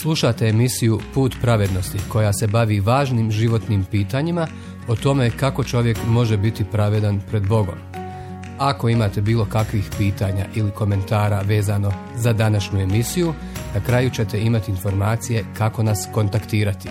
Slušate emisiju Put pravednosti koja se bavi važnim životnim pitanjima o tome kako čovjek može biti pravedan pred Bogom. Ako imate bilo kakvih pitanja ili komentara vezano za današnju emisiju, na kraju ćete imati informacije kako nas kontaktirati.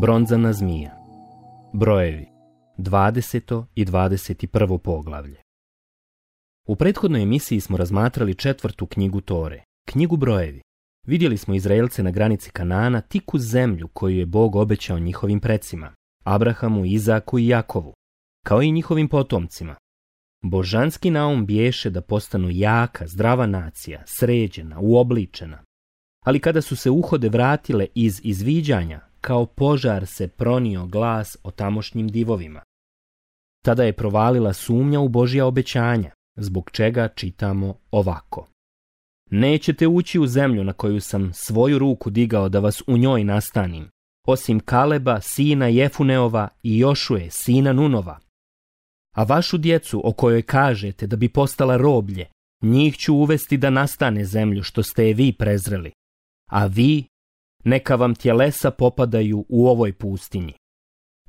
Bronzana zmija. Brojevi. 20. i 21. poglavlje. U prethodnoj emisiji smo razmatrali 4. knjigu Tore, knjigu Brojevi. Vidjeli smo Izraelce na granici Kanaana tik uz zemlju koju je Bog obećao njihovim precima, Abrahamu, Izaku i Jakovu, kao i njihovim potomcima. Božanski naum biješe da postanu jaka, zdrava nacija, sređena, uobličena. Ali kada su se uhode vratile iz izviđanja, kao požar se pronio glas o tamošnjim divovima. Tada je provalila sumnja u Božja obećanja, zbog čega čitamo ovako. Nećete ući u zemlju na koju sam svoju ruku digao da vas u njoj nastanim, osim Kaleba, sina Jefuneova i Jošuje, sina Nunova. A vašu djecu o kojoj kažete da bi postala roblje, njih ću uvesti da nastane zemlju što ste je vi prezreli, a vi neka vam tjelesa popadaju u ovoj pustinji.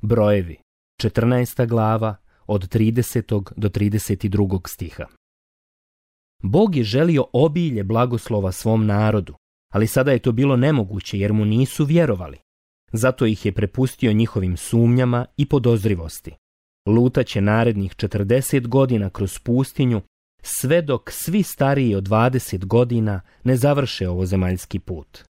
Brojevi, 14. glava, od 30. do 32. stiha. Bog je želio obilje blagoslova svom narodu, ali sada je to bilo nemoguće jer mu nisu vjerovali. Zato ih je prepustio njihovim sumnjama i podozrivosti. Lutaće narednih 40 godina kroz pustinju, sve dok svi stariji od 20 godina ne završe ovozemaljski put.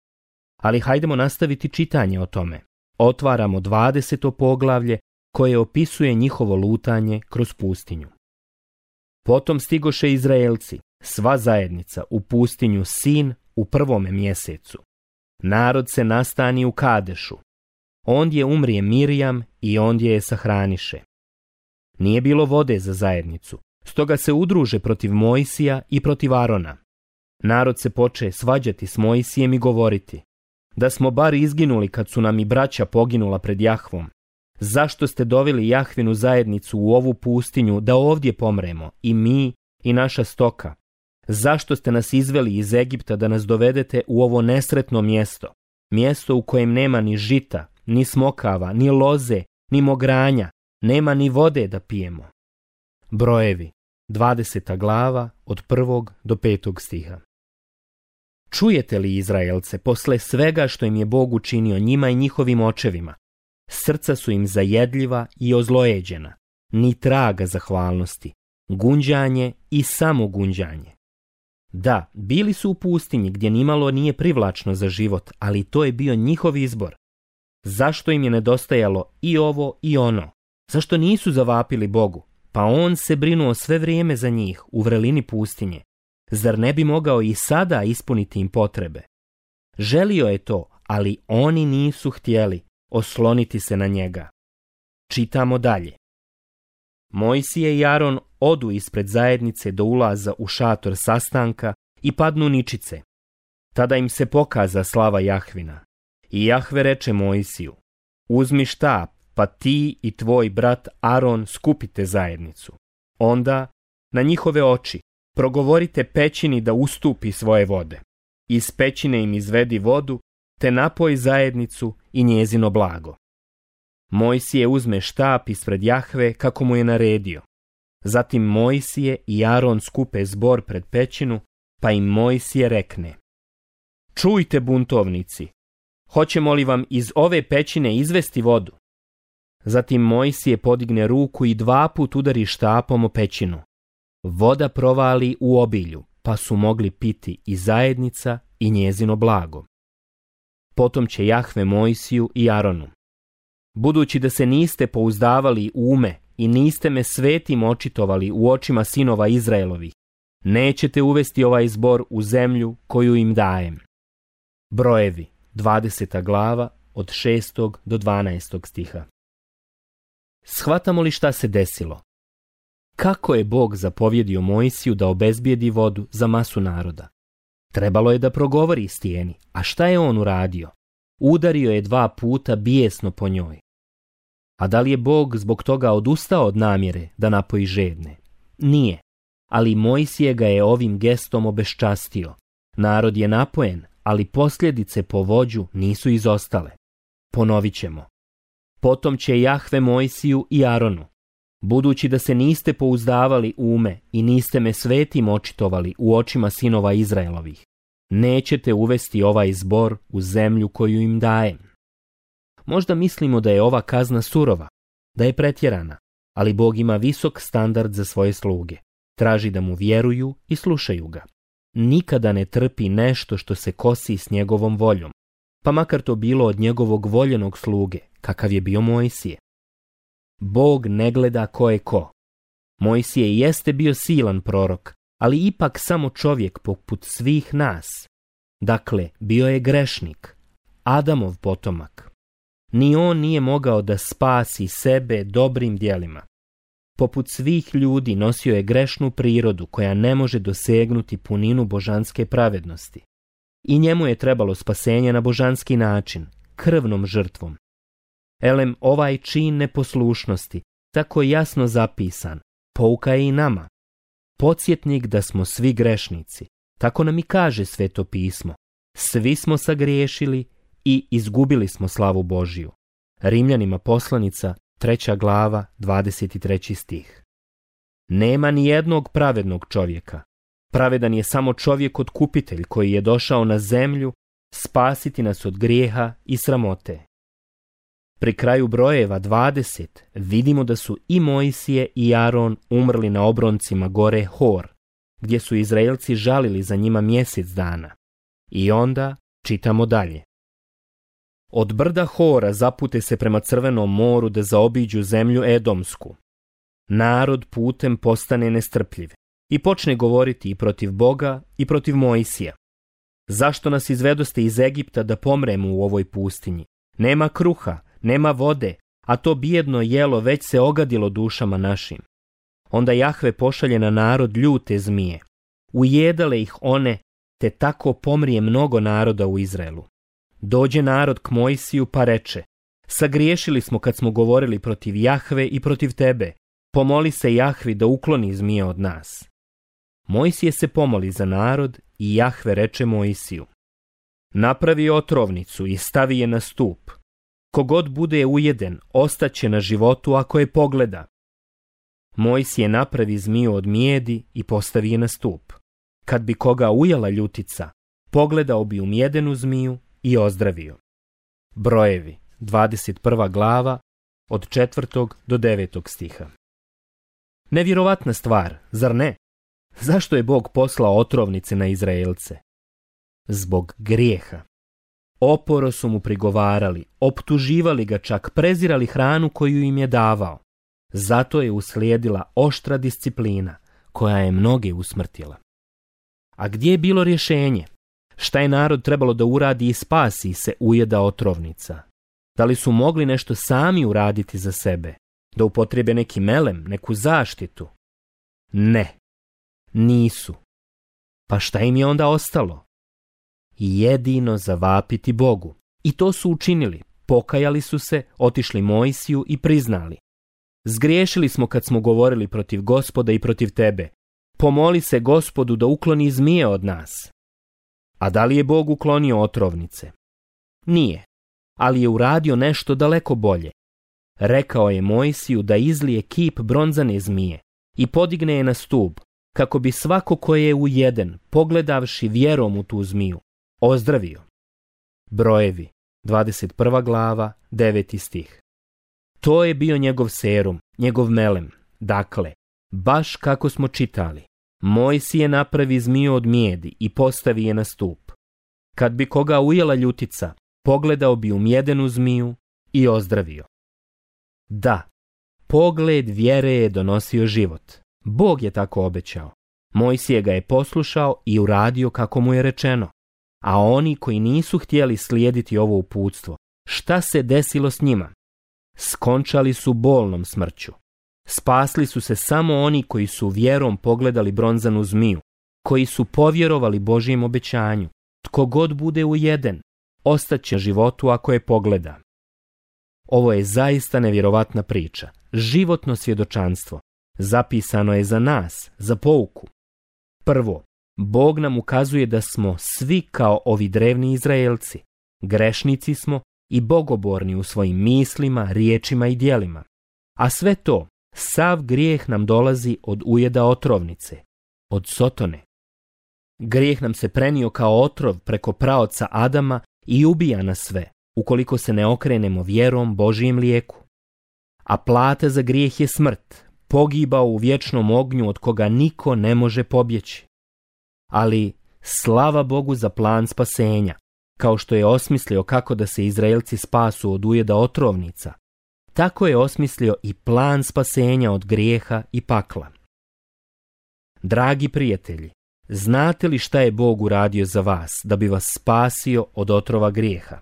Ali hajdemo nastaviti čitanje o tome. Otvaramo 20. poglavlje koje opisuje njihovo lutanje kroz pustinju. Potom stigoše Izraelci, sva zajednica, u pustinju Sin u 1. mjesecu. Narod se nastani u Kadešu. Ondje umrije Mirjam i ondje je sahraniše. Nije bilo vode za zajednicu, stoga se udruže protiv Mojsija i protiv Arona. Narod se poče svađati s Mojsijem i govoriti: da smo bar izginuli kad su nam i braća poginula pred Jahvom. Zašto ste doveli Jahvinu zajednicu u ovu pustinju da ovdje pomremo, i mi i naša stoka? Zašto ste nas izveli iz Egipta da nas dovedete u ovo nesretno mjesto, mjesto u kojem nema ni žita, ni smokava, ni loze, ni mogranja, nema ni vode da pijemo? Brojevi, 20. glava, od 1. do 5. stiha. Čujete li, Izraelce, posle svega što im je Bog učinio njima i njihovim očevima? Srca su im zajedljiva i ozlojeđena, ni traga zahvalnosti, gunđanje i samo gunđanje. Da, bili su u pustinji gdje nimalo nije privlačno za život, ali to je bio njihov izbor. Zašto im je nedostajalo i ovo i ono? Zašto nisu zavapili Bogu? Pa on se brinuo sve vrijeme za njih u vrelini pustinje. Zar ne bi mogao i sada ispuniti im potrebe? Želio je to, ali oni nisu htjeli osloniti se na njega. Čitamo dalje. Mojsije i Aron odu ispred zajednice do ulaza u šator sastanka i padnu ničice. Tada im se pokaza slava Jahvina. I Jahve reče Mojsiju: uzmi štap, pa ti i tvoj brat Aron skupite zajednicu. Onda na njihove oči progovorite pećini da ustupi svoje vode. Iz pećine im izvedi vodu, te napoj zajednicu i njezino blago. Mojsije uzme štap ispred Jahve kako mu je naredio. Zatim Mojsije i Aron skupe zbor pred pećinu, pa im Mojsije rekne: čujte, buntovnici, hoćemo li vam iz ove pećine izvesti vodu? Zatim Mojsije podigne ruku i 2 put udari štapom o pećinu. Voda provali u obilju, pa su mogli piti i zajednica i njezino blago. Potom će Jahve Mojsiju i Aronu: budući da se niste pouzdavali u ume i niste me svetim očitovali u očima sinova Izraelovih, nećete uvesti ovaj zbor u zemlju koju im dajem. Brojevi, 20. glava, od 6. do 12. stiha. Shvatamo li šta se desilo? Kako je Bog zapovjedio Mojsiju da obezbijedi vodu za masu naroda? Trebalo je da progovori stijeni, a šta je on uradio? Udario je 2 puta bijesno po njoj. A da li je Bog zbog toga odustao od namjere da napoji žedne? Nije, ali Mojsije ga je ovim gestom obeščastio. Narod je napojen, ali posljedice po vođu nisu izostale. Ponovit ćemo. Potom će Jahve Mojsiju i Aronu, budući da se niste pouzdavali u me i niste me svetim očitovali u očima sinova Izraelovih, nećete uvesti ovaj zbor u zemlju koju im dajem. Možda mislimo da je ova kazna surova, da je pretjerana, ali Bog ima visok standard za svoje sluge. Traži da mu vjeruju i slušaju ga. Nikada ne trpi nešto što se kosi s njegovom voljom, pa makar to bilo od njegovog voljenog sluge, kakav je bio Mojsije. Bog ne gleda ko je ko. Mojsije jeste bio silan prorok, ali ipak samo čovjek poput svih nas. Dakle, bio je grešnik, Adamov potomak. Ni on nije mogao da spasi sebe dobrim djelima. Poput svih ljudi nosio je grešnu prirodu koja ne može dosegnuti puninu božanske pravednosti. I njemu je trebalo spasenje na božanski način, krvnom žrtvom. Elem, ovaj čin neposlušnosti, tako jasno zapisan, pouka je i nama. Podsjetnik da smo svi grešnici, tako nam i kaže Sveto pismo. Svi smo sagriješili i izgubili smo slavu Božiju. Rimljanima poslanica, 3. glava, 23. stih. Nema ni jednog pravednog čovjeka. Pravedan je samo čovjek otkupitelj koji je došao na zemlju spasiti nas od grijeha i sramote. Pri kraju brojeva 20 vidimo da su i Mojsije i Aron umrli na obroncima gore Hor, gdje su Izraelci žalili za njima mjesec dana. I onda čitamo dalje. Od brda Hora zapute se prema Crvenom moru da zaobiđu zemlju Edomsku. Narod putem postane nestrpljiv i počne govoriti i protiv Boga i protiv Mojsija. Zašto nas izvedoste iz Egipta da pomremo u ovoj pustinji? Nema kruha, nema vode, a to bijedno jelo već se ogadilo dušama našim. Onda Jahve pošalje na narod ljute zmije. Ujedale ih one, te tako pomrije mnogo naroda u Izraelu. Dođe narod k Mojsiju pa reče, sagriješili smo kad smo govorili protiv Jahve i protiv tebe, pomoli se Jahvi da ukloni zmije od nas. Mojsije se pomoli za narod i Jahve reče Mojsiju, napravi otrovnicu i stavi je na stup. Kogod bude ujeden, ostaće na životu ako je pogleda. Mojsije napravi zmiju od mijedi i postavi je na stup. Kad bi koga ujela ljutica, pogledao bi u mjedenu zmiju i ozdravio. Brojevi, 21. glava, od 4. do 9. stiha. Nevjerovatna stvar, zar ne? Zašto je Bog poslao otrovnice na Izraelce? Zbog grijeha. Oporo su mu prigovarali, optuživali ga, čak prezirali hranu koju im je davao. Zato je uslijedila oštra disciplina koja je mnoge usmrtila. A gdje je bilo rješenje? Šta je narod trebalo da uradi i spasi se ujeda otrovnica? Da li su mogli nešto sami uraditi za sebe? Da upotrebe neki melem, neku zaštitu? Ne, nisu. Pa šta im je onda ostalo? Jedino zavapiti Bogu. I to su učinili. Pokajali su se, otišli Mojsiju i priznali. Zgriješili smo kad smo govorili protiv Gospoda i protiv tebe. Pomoli se Gospodu da ukloni zmije od nas. A da li je Bog uklonio otrovnice? Nije, ali je uradio nešto daleko bolje. Rekao je Mojsiju da izlije kip bronzane zmije i podigne je na stup, kako bi svako ko je ujeden, pogledavši vjerom u tu zmiju, ozdravio. Brojevi, 21. glava, 9. stih. To je bio njegov serum, njegov melem. Dakle, baš kako smo čitali, Mojsije napravi zmiju od mijedi i postavi je na stup. Kad bi koga ujela ljutica, pogledao bi u mjedenu zmiju i ozdravio. Da, pogled vjere je donosio život. Bog je tako obećao. Mojsije ga je poslušao i uradio kako mu je rečeno. A oni koji nisu htjeli slijediti ovo uputstvo, šta se desilo s njima? Skončali su bolnom smrću. Spasli su se samo oni koji su vjerom pogledali bronzanu zmiju, koji su povjerovali Božjem obećanju. Tko god bude ujeden, ostaće životu ako je pogleda. Ovo je zaista nevjerovatna priča, životno svjedočanstvo. Zapisano je za nas, za pouku. Prvo, Bog nam ukazuje da smo svi kao ovi drevni Izraelci. Grešnici smo i bogoborni u svojim mislima, riječima i djelima. A sve to, sav grijeh nam dolazi od ujeda otrovnice, od Sotone. Grijeh nam se prenio kao otrov preko praoca Adama i ubija nas sve, ukoliko se ne okrenemo vjerom Božijem lijeku. A plata za grijeh je smrt, pogibao u vječnom ognju od koga niko ne može pobjeći. Ali slava Bogu za plan spasenja, kao što je osmislio kako da se Izraelci spasu od ujeda otrovnica, tako je osmislio i plan spasenja od grijeha i pakla. Dragi prijatelji, znate li šta je Bog uradio za vas da bi vas spasio od otrova grijeha?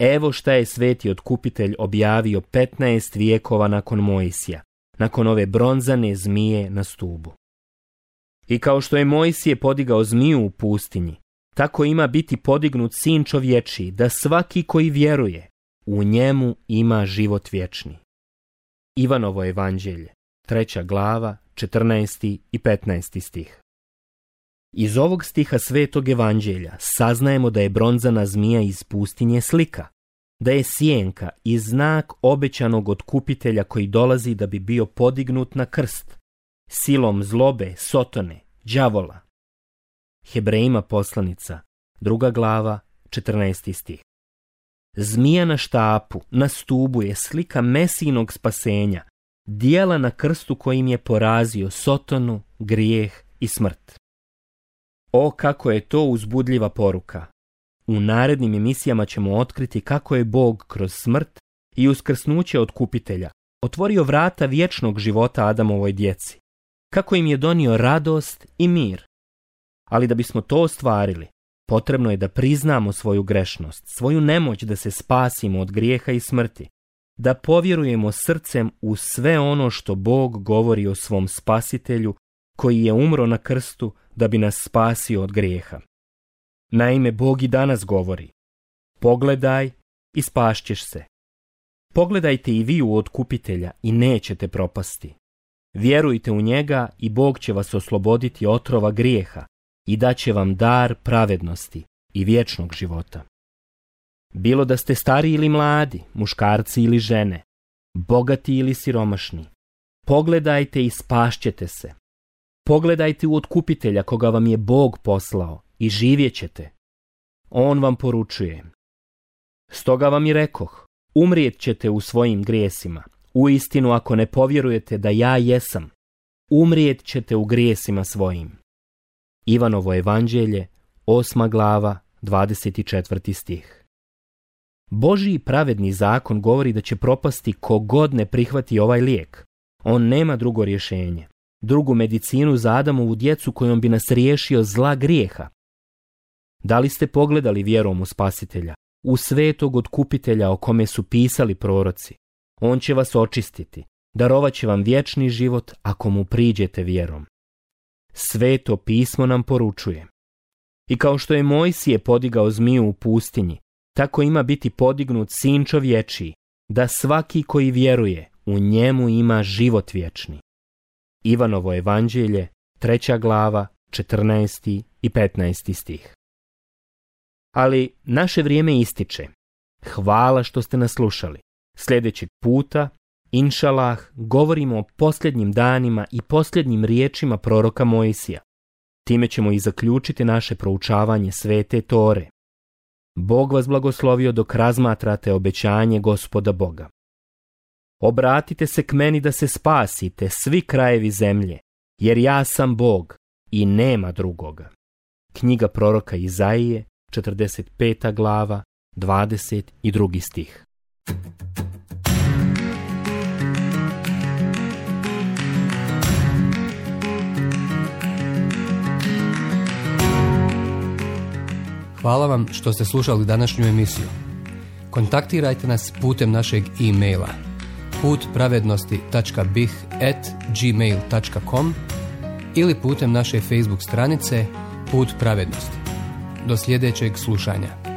Evo šta je sveti otkupitelj objavio 15 vijekova nakon Mojsija, nakon ove bronzane zmije na stubu. I kao što je Mojsije podigao zmiju u pustinji, tako ima biti podignut sin čovječiji, da svaki koji vjeruje, u njemu ima život vječni. Ivanovo evanđelje, 3. glava, 14. i 15. stih. Iz ovog stiha svetog evanđelja saznajemo da je bronzana zmija iz pustinje slika, da je sjenka i znak obećanog otkupitelja koji dolazi da bi bio podignut na krst, silom zlobe, Sotone, đavola. Hebrejima poslanica, 2. glava, 14. stih. Zmija na štapu, na stubu je slika Mesijinog spasenja, dijela na krstu kojim je porazio Sotonu, grijeh i smrt. O, kako je to uzbudljiva poruka! U narednim emisijama ćemo otkriti kako je Bog kroz smrt i uskrsnuće otkupitelja otvorio vrata vječnog života Adamovoj djeci, kako im je donio radost i mir. Ali da bismo to ostvarili, potrebno je da priznamo svoju grešnost, svoju nemoć da se spasimo od grijeha i smrti, da povjerujemo srcem u sve ono što Bog govori o svom spasitelju koji je umro na krstu da bi nas spasio od grijeha. Naime, Bog i danas govori: pogledaj i spašćeš se. Pogledajte i vi u otkupitelja i nećete propasti. Vjerujte u njega i Bog će vas osloboditi otrova grijeha i daće vam dar pravednosti i vječnog života. Bilo da ste stari ili mladi, muškarci ili žene, bogati ili siromašni, pogledajte i spašćete se. Pogledajte u otkupitelja koga vam je Bog poslao i živjet ćete. On vam poručuje: stoga vam i rekoh, umrijet ćete u svojim grijesima. Uistinu, ako ne povjerujete da ja jesam, umrijet ćete u grijesima svojim. Ivanovo evanđelje, 8. glava, 24. stih. Božji pravedni zakon govori da će propasti kogod ne prihvati ovaj lijek. On nema drugo rješenje, drugu medicinu za Adamovu djecu kojom bi nas riješio zla grijeha. Da li ste pogledali vjerom u Spasitelja, u svetog otkupitelja o kome su pisali proroci? On će vas očistiti, darovat će vam vječni život ako mu priđete vjerom. Sveto pismo nam poručuje: i kao što je Mojsije podigao zmiju u pustinji, tako ima biti podignut sin čovječiji, da svaki koji vjeruje u njemu ima život vječni. Ivanovo evanđelje, 3. glava, 14. i 15. stih. Ali naše vrijeme ističe. Hvala što ste nas slušali. Sljedećeg puta, inšalah, govorimo o posljednjim danima i posljednjim riječima proroka Mojsija. Time ćemo i zaključiti naše proučavanje Svete Tore. Bog vas blagoslovio dok razmatrate obećanje Gospoda Boga. Obratite se k meni da se spasite, svi krajevi zemlje, jer ja sam Bog i nema drugoga. Knjiga proroka Izaije, 45. glava, 22. stih. Hvala vam što ste slušali današnju emisiju. Kontaktirajte nas putem našeg e-maila putpravednosti.bih@gmail.com ili putem naše Facebook stranice Put pravednosti. Do sljedećeg slušanja.